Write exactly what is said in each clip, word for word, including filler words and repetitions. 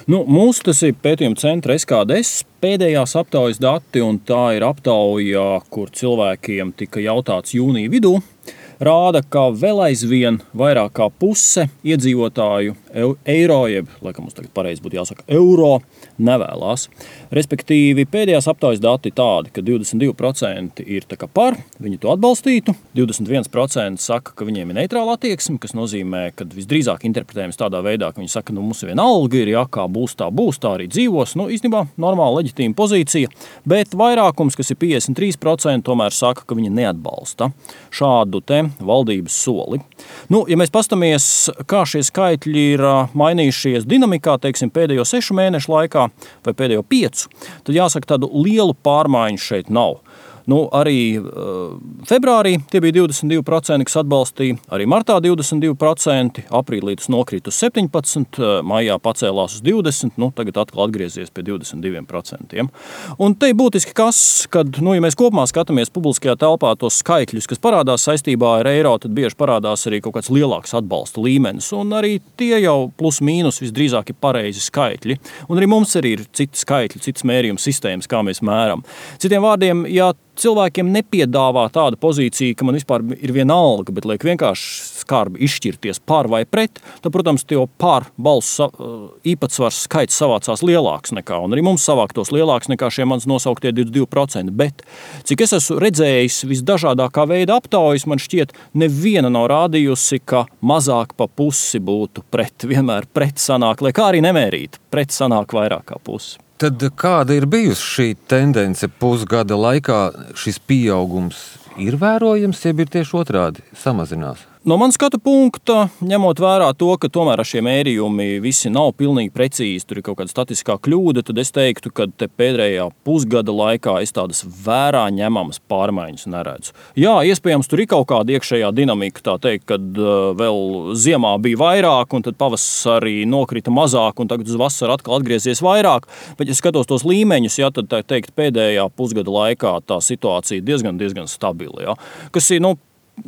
Nu, mūsu tas ir pētījuma centra S K D S pēdējās aptaujas dati, un tā ir aptauja, kur cilvēkiem tika jautāts jūnija vidū. Rāda, ka vēl aizvien vairāk kā puse iedzīvotāju eiro, jeb, laikam mums tagad pareizi būtu jāsaka, eiro nevēlās. Respektīvi, pēdējās aptaujas dati tādi, ka divdesmit divi procenti ir tā kā par, viņi to atbalstītu, divdesmit viens procents saka, ka viņiem ir neitrāla attieksme, kas nozīmē, ka visdrīzāk interpretējams tādā veidā, ka viņi saka, ka nu, mums viena alga ir, ja kā būs tā būs, tā arī dzīvos. Nu, īstenībā normāla leģitīma pozīcija, bet vairākums, kas ir piecdesmit trīs procenti, tomēr saka, ka viņi neatbalsta šādu te valdības soli. Nu, ja mēs pastamies, kā šie skaitļi ir mainījušies dinamikā, teiksim, pēdējo sešu mēnešu laikā vai pēdējo piecu, tad jāsaka, tādu lielu pārmaiņu šeit nav. Nu, arī uh, februārī tie bija divdesmit divi procenti, kas atbalstīja, arī martā divdesmit divi procenti, aprīlī tas nokrita uz septiņpadsmit, maijā pacēlās uz divdesmit, nu, tagad atkal atgriezies pie divdesmit divi procenti. Un te ir būtiski kas, kad, nu, ja mēs kopumā skatāmies publiskajā telpā tos skaitļus, kas parādās saistībā ar eiro, tad bieži parādās arī kaut kāds lielāks atbalsta līmenis, un arī tie jau plus mīnus visdrīzāk ir pareizi skaitļi. Un arī mums arī ir citi skaitļi, citas mērījuma sistēmas, kā mēs mēram. Citiem vārdiem, ja cilvēkiem nepiedāvā tāda pozīcija, ka man vispār ir viena alga, bet liek vienkārši skarbi izšķirties par vai pret, tad, protams, tie par balsu īpatsvars skaits savācās lielāks nekā, un arī mums savāktos lielāks nekā šie mans nosauktie divdesmit divi procenti. Bet, cik es esmu redzējis visdažādākā veida aptaujas, man šķiet, neviena nav rādījusi, ka mazāk pa pusi būtu pret, vienmēr pret sanāk, lai kā arī nemērīt, pret sanāk vairāk kā pusi. Tad kāda ir bijusi šī tendence pusgada laikā? Šis pieaugums ir vērojams, jeb ir tieši otrādi samazinās? No manas skatu punkta, ņemot vērā to, ka tomēr ar šie mērījumi visi nav pilnīgi precīzi, tur ir kaut kāda statistiskā kļūda, tad es teiktu, ka te pēdējā pusgada laikā es tādas vērā ņemamas pārmaiņas neredzu. Jā, iespējams, tur ir kaut kāda iekšējā dinamika, tā teikt, kad uh, vēl ziemā bija vairāk, un tad pavasarī nokrita mazāk, un tagad uz vasaru atkal atgriezies vairāk, bet ja skatos tos līmeņus, jā, tad tā teikt, pēdējā pusgada laikā tā situācija diezgan, diezgan stabila, jā, kas ir, nu,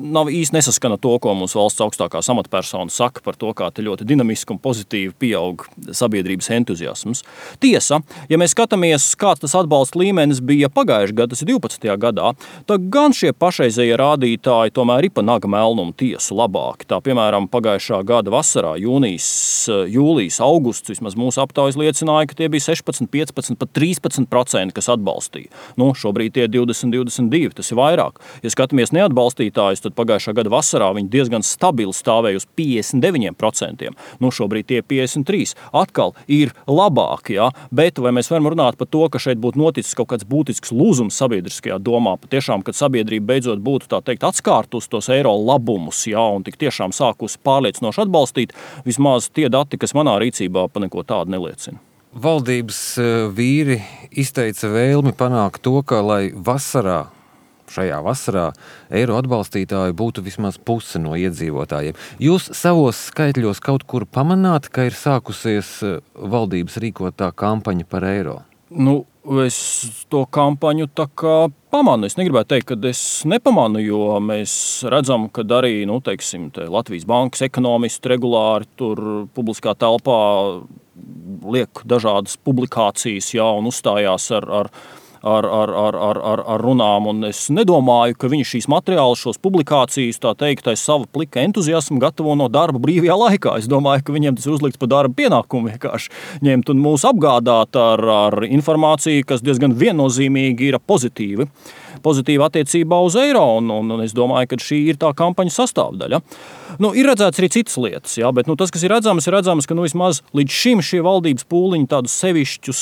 nav īsti nesaskana to, ko mums valsts augstākās amatpersona saka par to, kā te ļoti dinamiski un pozitīvi pieaug sabiedrības entuziasms. Tiesa, ja mēs skatāmies, kāds tas atbalsta līmenis bija pagājušajā gadā, tas ir divpadsmitajā gadā, tad gan šie pašreizējie rādītāji tomēr ir pa naga melnumu tiesu labāki. Tā, piemēram, pagājušā gada vasarā, jūnijas, jūlijas, augusts, vismaz mūsu aptaujas liecināja, ka tie bija sešpadsmit, piecpadsmit, pat trīspadsmit procenti, kas atbalstīja. Nu, šobrīd tie divdesmit, divdesmit divi, tas ir vairāk. Ja skatāmies neatbalstītāji, tad pagājušā gada vasarā viņi diezgan stabili stāvēja uz piecdesmit deviņi procenti. Nu, šobrīd tie piecdesmit trīs. Atkal ir labāk, jā, bet vai mēs varam runāt par to, ka šeit būtu noticis kaut kāds būtisks lūzums sabiedriskajā domā, patiešām, kad sabiedrība beidzot būtu, tā teikt, atskārtus tos eiro labumus, jā, un tik tiešām sākusi pārliecinoši atbalstīt, vismaz tie dati, kas manā rīcībā pa neko tādu neliecina. Valdības vīri izteica vēlmi panākt to, ka, lai vasarā Šajā vasarā eiro atbalstītāji būtu vismaz puse no iedzīvotājiem. Jūs savos skaitļos kaut kur pamanāt, ka ir sākusies valdības rīkotā kampaņa par eiro? Nu, es to kampaņu tā kā pamanu. Es negribētu teikt, ka es nepamanu, jo mēs redzam, ka arī, nu, teiksim, te Latvijas bankas ekonomisti regulāri tur publiskā telpā liek dažādas publikācijas, jā, un uzstājās ar, ar Ar, ar, ar, ar, ar, ar runām, un es nedomāju, ka viņi šīs materiālus, šos publikācijas, tā teikt, aiz sava plika entuziasmu gatavo no darba brīvajā laikā. Es domāju, ka viņiem tas ir uzlikts par darba pienākumu vienkārši ņemt un mūs apgādāt ar, ar informāciju, kas diezgan viennozīmīgi ir pozitīvi. Pozitīva attiecībā uz eiro, un, un, un es domāju, ka šī ir tā kampaņas sastāvdaļa. Nu, ir redzēts arī citas lietas, jā, bet nu, tas, kas ir redzams, ir redzams, ka nu, vismaz līdz šim šie valdības pūliņi tādus sevišķus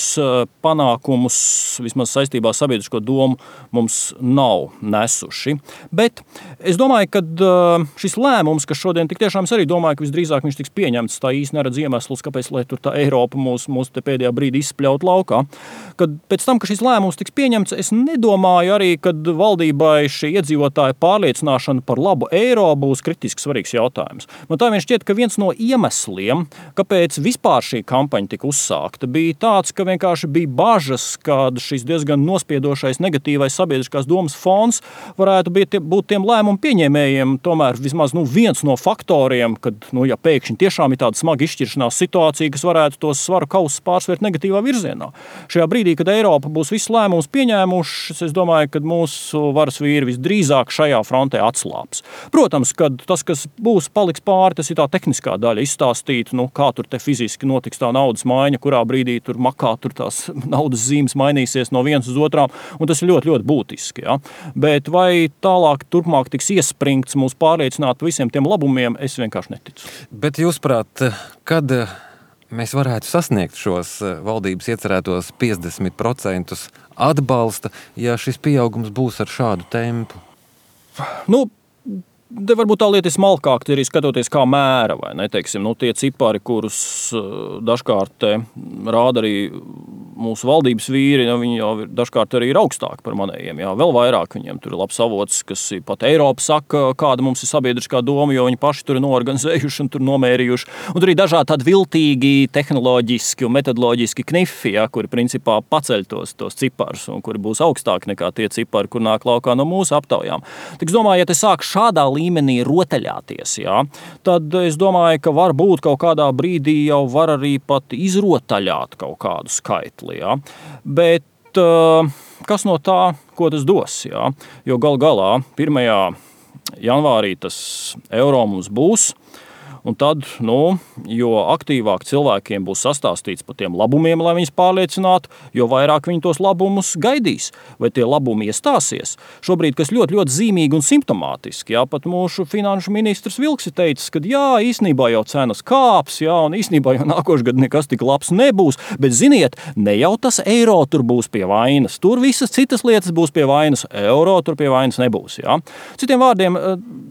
panākumus, vismaz saistībā ar sabiedrisko domu, mums nav nesuši. Bet es domāju, ka šis lēmums, kas šodien tik tiešām es arī domāju, ka visdrīzāk viņš tiks pieņemts, tā īsti neredz iemeslus, kāpēc, lai tur tā Eiropa mūs, mūs te pēdējā brīdī izspļaut laukā. Kad pēc tam, ka šis lēmums tiks pieņemts, es nedomāju arī, ka ka valdībai šī iedzīvotāja pārliecināšana par labu eiro būs kritiski svarīgs jautājums. Man tā vien šķiet, ka viens no iemesliem, kāpēc vispār šī kampaņa tika uzsākta, bija tāds, ka vienkārši bija bažas, kad šis diezgan nospiedošais negatīvais sabiedriskās domas fons varētu būt, būt tiem lēmumu pieņēmējiem tomēr vismaz nu, viens no faktoriem, kad, nu, ja pēkšņi tiešām ir tāda smaga izšķiršanās situācija, kas varētu tos svaru kausus pārsvērt negatīvā virzienā. Šajā brīdī, kad Eiropa būs visus lēmumus pieņēmušas, es domāju, ka mūsu varas vīri visdrīzāk šajā frontē atslāps. Protams, kad tas, kas būs paliks pāri, tas ir tā tehniskā daļa, izstāstīt, nu, kā tur te fiziski notiks tā naudas maiņa, kurā brīdī tur makā tur tās naudas zīmes mainīsies no vienas uz otrām, un tas ir ļoti, ļoti būtiski. Ja? Bet vai tālāk, turpmāk tiks iespringts mūs pārliecināt par visiem tiem labumiem, es vienkārši neticu. Bet jūsprāt, kad mēs varētu sasniegt šos valdības iecerētos piecdesmit procentus atbalsta, ja šis pieaugums būs ar šādu tempu? Nu, te varbūt tā lieta ir smalkāk, arī skatoties kā mēra, vai ne, teiksim, nu, tie cipari, kurus dažkārt rāda arī mūsu valdības vīri, nu, viņi jau dažkārt arī ir augstāki par manējiem, jā, vēl vairāk viņiem tur ir labs avots, kas ir pat Eiropa saka, kāda mums ir sabiedriskā doma, jo viņi paši tur ir noorganizējuši un tur nomērījuši, un tur ir dažādi tādi viltīgi, tehnoloģiski un metodoloģiski knifi, jā, kuri principā paceļ tos, tos ciparus un kuri būs augstāki nekā tie cipari, kur nāk laukā no mūsu aptaujām. Tik es domāju, ja te sāk šādā līmenī rotaļāties, jā, tad es domāju, ka var būt kaut kādā brīdī jau var arī pat izrotaļāt kaut kādu skaitli, jā. Bet uh, kas no tā, ko tas dos, jā? Jo gal galā pirmajā janvārī tas eiro mums būs, un tad, nu, jo aktīvāk cilvēkiem būs sastāstīts par tiem labumiem, lai viņus pārliecinātu, jo vairāk viņi tos labumus gaidīs, vai tie labumi iestāsies. Šobrīd, kas ļoti, ļoti zīmīgi un simptomātiski, jā, pat mūsu finanšu ministrs Vilks ir teicis, ka jā, īstenībā jau cenas kāps, jā, un īstenībā jau nākošais gads nekas tik labs nebūs, bet ziniet, ne jau tas eiro tur būs pie vainas, tur visas citas lietas būs pie vainas, eiro tur pie vainas nebūs, jā. Citiem vārdiem,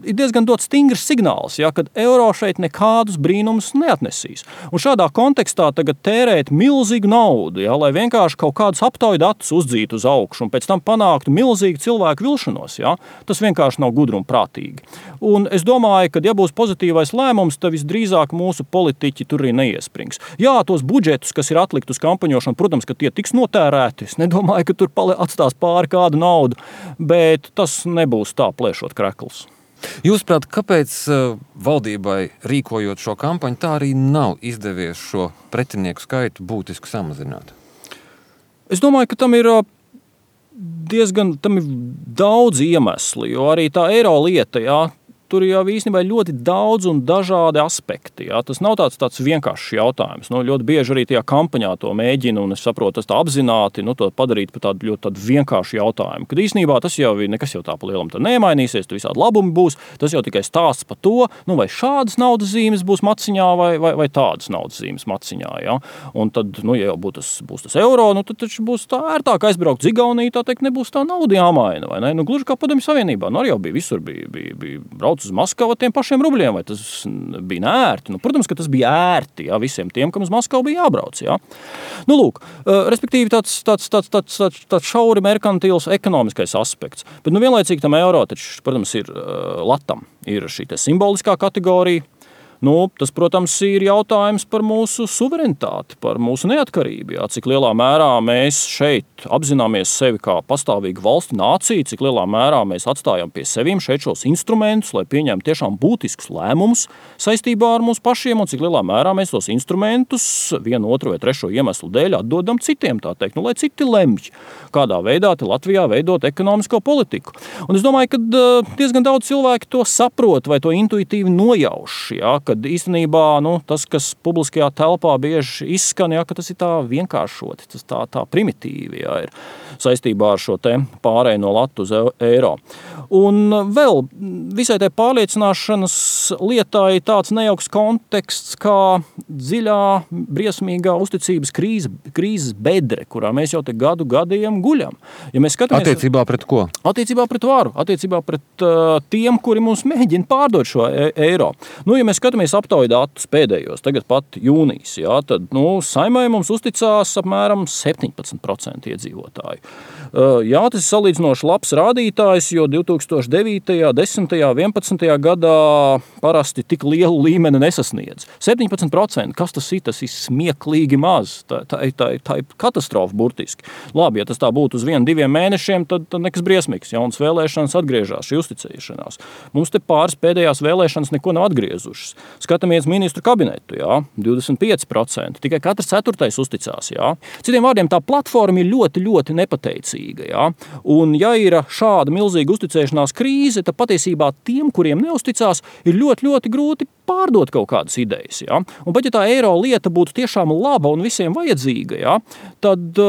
ir diezgan dots stingrs signāls, jā, kad eiro šeit nekādus brīnumus neatnesīs. Un šādā kontekstā tagad tērēt milzīgu naudu, ja, lai vienkārši kaut kādus aptauju datus uzdzītu uz augšu un pēc tam panāktu milzīgu cilvēku vilšanos, ja, tas vienkārši nav gudri un prātīgi. Un es domāju, ka ja būs pozitīvais lēmums, tad visdrīzāk mūsu politiķi tur arī neiesprings. Jā, tos budžetus, kas ir atlikt uz kampaņošanu, protams, ka tie tiks notērēti. Es nedomāju, ka tur atstās pāri kādu naudu, bet tas nebūs tā plēšot krekls. Jūsuprāt, kāpēc valdībai rīkojot šo kampaņu tā arī nav izdevies šo pretinieku skaitu būtiski samazināt? Es domāju, ka tam ir diezgan tam ir daudz iemesli, jo arī tā eiro lieta, jā, tur jau īstenībā ir ļoti daudz un dažādi aspekti. Jā. Tas nav tāds, tāds vienkāršs jautājums. Nu, ļoti bieži arī tajā kampaņā to mēģina, un es saprotu, tas tā apzināti, nu, to padarīt par tādu ļoti tādu vienkāršu jautājumu. Kad īstenībā tas jau ir, nekas jau tā pa lielam tā nemainīsies, tu visādi labumi būs, tas jau tikai stāsts par to, nu, vai šādas naudas zīmes būs maciņā, vai, vai, vai tādas naudas zīmes maciņā. Jā. Un tad, nu, ja jau būs tas, būs tas eiro, nu, tad taču būs tā ērtāk aizbraukt uz Igauniju, tā teikt, nebūs tā nauda jāmaina, vai ne? Nu, gluži kā Padomju Savienībā, nu, arī jau bija visur, bija, bija, bija brauc uz Maskavu tiem pašiem rubļiem, vai tas bija neērti? Nu, protams, ka tas bija ērti, jā, visiem tiem, kam uz Maskavu bija jābrauc, jā. Nu, lūk, respektīvi tāds, tāds, tāds, tāds, tāds, tāds šauri merkantils ekonomiskais aspekts. Bet, nu, vienlaicīgi tam eiro, taču, protams, ir latam, ir šī te simboliskā kategorija. Nu, tas, protams, ir jautājums par mūsu suverenitāti, par mūsu neatkarību. Jā. Cik lielā mērā mēs šeit apzināmies sevi kā pastāvīgu valsti nāciju, cik lielā mērā mēs atstājam pie seviem šeit šos instrumentus, lai pieņemtu tiešām būtiskus lēmumus saistībā ar mums pašiem, un cik lielā mērā mēs tos instrumentus vienu, otru vai trešo iemeslu dēļ atdodam citiem, tā teikt, nu, lai citi lemj, kādā veidā te Latvijā veidot ekonomisko politiku. Un es domāju, ka diezgan daudz cilvēki to saprot vai to intuitīvi nojauš, jā, kad īstenībā nu, tas, kas publiskajā telpā bieži izskan, jā, ka tas ir tā vienkāršoti, tas tā, tā primitīvi jā, ir saistībā ar šo te pārēju no latu uz eiro. Un vēl visai tai pārliecināšanas lietai tāds nejauks konteksts kā dziļā, briesmīgā uzticības krīze, krīzes bedre, kurā mēs jau te gadu gadiem guļam. Ja mēs skatāmies, attiecībā pret ko? Attiecībā pret varu, attiecībā pret uh, tiem, kuri mums mēģina pārdot šo e- eiro. Nu, ja mēs skatāmies skatāmies aptauju datus pēdējos, tagad pat jūnijas, jā, tad nu, Saimai mums uzticās apmēram septiņpadsmit procenti iedzīvotāju. Jā, tas ir salīdzinoši labs rādītājs, jo divi tūkstoši devītajā, desmitajā, vienpadsmitajā gadā parasti tik lielu līmeni nesasniedz. septiņpadsmit procenti, kas tas ir? Tas ir smieklīgi maz. Tā, tā, tā, tā ir katastrofa burtiski. Labi, ja tas tā būtu uz vienu, diviem mēnešiem, tad, tad nekas briesmīgs. Jaunas vēlēšanas atgriežās, šī uzticēšanās. Mums te pāris pēdējās vēlēšanas neko nav atgriezušas. Skatāmies ministru kabinetu, jā, divdesmit pieci procenti. Tikai katrs ceturtais uzticās, jā. Citiem vārdiem, tā platforma ir ļoti, ļoti nepateicīga. Ja? Un, ja ir šāda milzīga uzticēšanās krīze, tad patiesībā tiem, kuriem neusticās, ir ļoti, ļoti grūti pārdot kaut kādas idejas. Ja? Un pat ja tā eiro lieta būtu tiešām laba un visiem vajadzīga, ja? Tad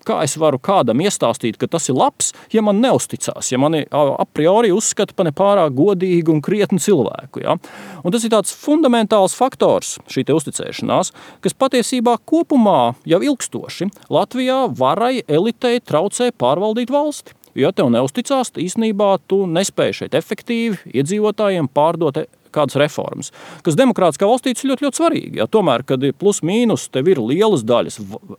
kā es varu kādam iestāstīt, ka tas ir labs, ja man neusticās, ja mani a priori uzskata par nepārāk godīgu un krietnu cilvēku. Ja? Un tas ir tāds fundamentāls faktors, šī te uzticēšanās, kas patiesībā kopumā jau ilgstoši Latvijā varai elitei traucē pārvaldīt valsti. Ja tev neusticās, tad īstenībā tu nespēji šeit efektīvi iedzīvotājiem pārdot kādas reformas, kas demokrātiskā valstī ir ļoti, ļoti svarīgi. Ja, tomēr, kad ir plus mīnus, tev ir lielas daļas,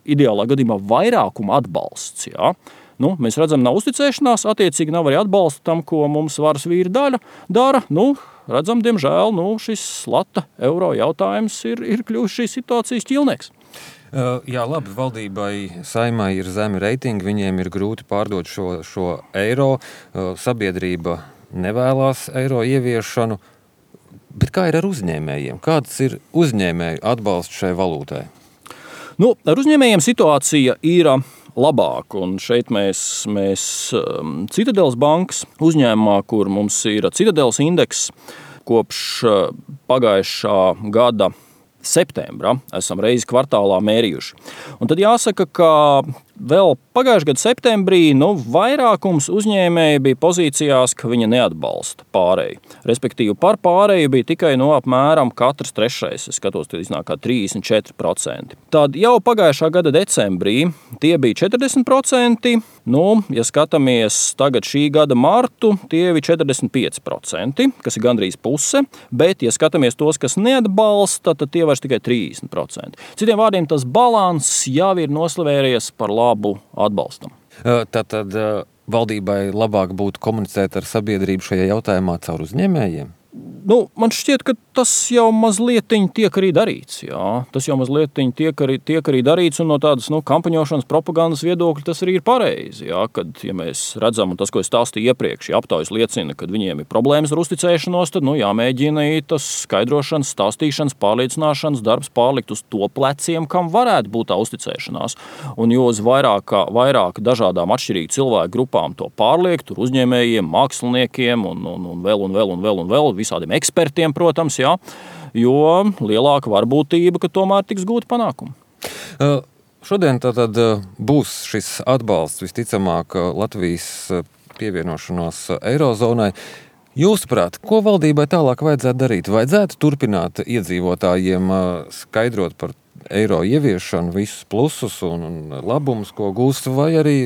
ideālā gadījumā vairākuma atbalsts. Ja. Nu, mēs redzam, nav uzticēšanās, attiecīgi nav arī atbalsta tam, ko mums varas vīri daļa dara. Nu, redzam, diemžēl, nu, šis lata eiro jautājums ir, ir kļuvis šīs situācijas ķilnieks. Uh, jā, labi, valdībai Saimai ir zemi reitingi, viņiem ir grūti pārdot šo, šo eiro, uh, sabiedrība nevēlās eiro ieviešanu. Bet kā ir ar uzņēmējiem? Kāds ir uzņēmēju atbalsts šai valūtai? Nu, ar uzņēmējiem situācija ir labāka, un šeit mēs, mēs Citadeles bankas uzņēmumā, kur mums ir Citadeles indeks, kopš pagājušā gada septembra esam reizi kvartālā mērījuši. Un tad jāsaka, ka vēl pagājušā gada septembrī nu, vairākums uzņēmēji bija pozīcijās, ka viņa neatbalsta pārēju. Respektīvi, par pārēju bija tikai no apmēram katrs trešais. Es skatos, tad iznāk kā trīsdesmit četri procenti. Tad jau pagājušā gada decembrī tie bija četrdesmit procenti. Nu, ja skatāmies tagad šī gada martu, tie bija četrdesmit pieci procenti, kas ir gandrīz puse. Bet, ja skatāmies tos, kas neatbalsta, tad tie vairs tikai trīsdesmit procenti. Citiem vārdiem, tas balanss jau ir noslavējies par labu atbalstam. Tātad valdībai labāk būtu komunicēt ar sabiedrību šajā jautājumā caur uzņēmējiem? Nu, man šķiet, ka tas jau mazlietiņ tiek arī darīts. Jā. Tas jau mazlietiņ tiek arī, tiek arī darīts, un no tādas nu, kampaņošanas propagandas viedokļa tas arī ir pareizi. Jā. Kad, ja mēs redzam, un tas, ko es stāstīju iepriekš, ja aptaujas liecina, kad viņiem ir problēmas ar uzticēšanos, tad nu, jāmēģina tas skaidrošanas, stāstīšanas, pārliecināšanas darbs pārlikt uz to pleciem, kam varētu būt tā uzticēšanās. Un jo uz vairāk, vairāk dažādām atšķirīgu cilvēku grupām to pārliek, tur uzņēmējiem, māksliniekiem un, un, un vēl un vēl un vēl un vēl, visādiem ekspertiem, protams, jā, jo lielāka varbūtība, ka tomēr tiks gūti panākumi. Uh, šodien tātad būs šis atbalsts visticamāk Latvijas pievienošanos Eirozonai. Jūsuprāt, ko valdībai tālāk vajadzētu darīt? Vajadzētu turpināt iedzīvotājiem skaidrot par eiro ieviešanu, visus plusus un, un labumus, ko gūst, vai arī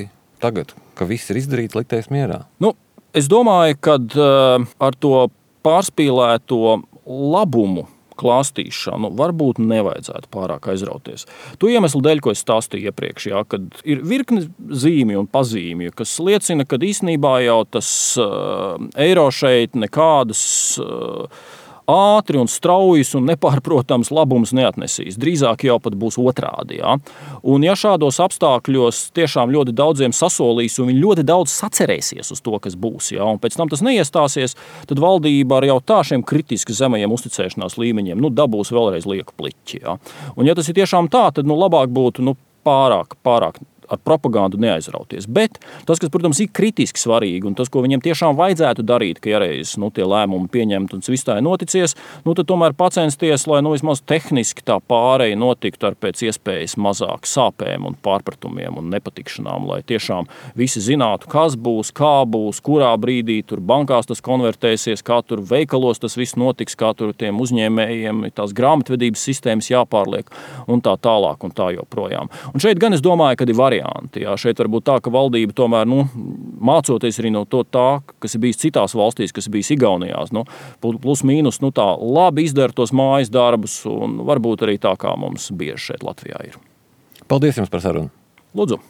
tagad, ka viss ir izdarīts, likties mierā? Nu, es domāju, ka uh, ar to pārspīlēto labumu klāstīšanu varbūt nevajadzētu pārāk aizrauties. To iemeslu dēļ, ko es stāstīju iepriekš, jā, kad ir virkne zīmju un pazīmju, kas liecina, ka īstenībā jau tas uh, eiro šeit nekādas uh, ātri un straujas un nepārprotams labums neatnesīs. Drīzāk jau pat būs otrādi. Ja? Un ja šādos apstākļos tiešām ļoti daudziem sasolīs un viņi ļoti daudz sacerēsies uz to, kas būs, ja? Un pēc tam tas neiestāsies, tad valdība ar jau tā šiem kritiski zemajiem uzticēšanās līmeņiem nu, dabūs vēlreiz lieku pliķi. Ja? Un ja tas ir tiešām tā, tad nu, labāk būtu nu, pārāk, pārāk ar propagandu neaizrauties. Bet tas, kas, protams, ir kritiski svarīgi un tas, ko viņiem tiešām vajadzētu darīt, ka ja reiz nu, tie lēmumi pieņemt un viss tā ir noticies, nu, tad tomēr pacensties, lai nu, vismaz tehniski tā pāreja notiktu ar pēc iespējas mazāk sāpēm un pārpratumiem un nepatikšanām, lai tiešām visi zinātu, kas būs, kā būs, kurā brīdī tur bankās tas konvertēsies, kā tur veikalos tas viss notiks, kā tur tiem uzņēmējiem tās grāmatvedības sistēmas jāpārliek un tā tālāk un tā joprojām. Un šeit gan es domāju, ka ir varianti varianti. Jā. Šeit var būt tā, ka valdība tomēr, nu, mācoties arī no to tā, kas ir bijis citās valstīs, kas ir bijis Igaunijās, nu, plus mīnus, nu, tā labi izdara tos mājas darbus, un varbūt arī tā, kā mums bieži šeit Latvijā ir. Paldies jums par sarunu! Lūdzu!